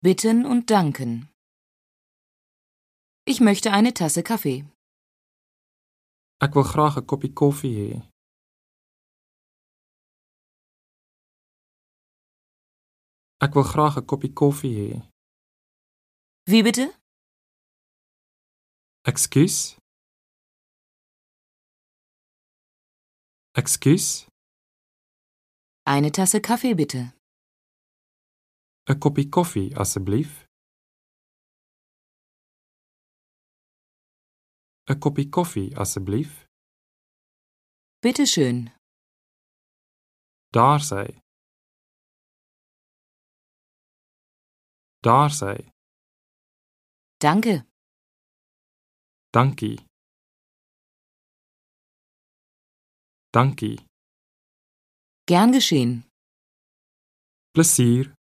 Bitten und danken. Ich möchte eine Tasse Kaffee. Ek wil graag 'n koppie koffie hê. Ek wil graag 'n koppie koffie hê. Wie bitte? Ekskuus? Ekskuus? Eine Tasse Kaffee bitte. 'n Koppie koffie asseblief. 'n Koppie koffie asseblief. Bitte schön. Daar sy. Daar sy. Danke. Dankie. Dankie. Gern geschehen. Plesier.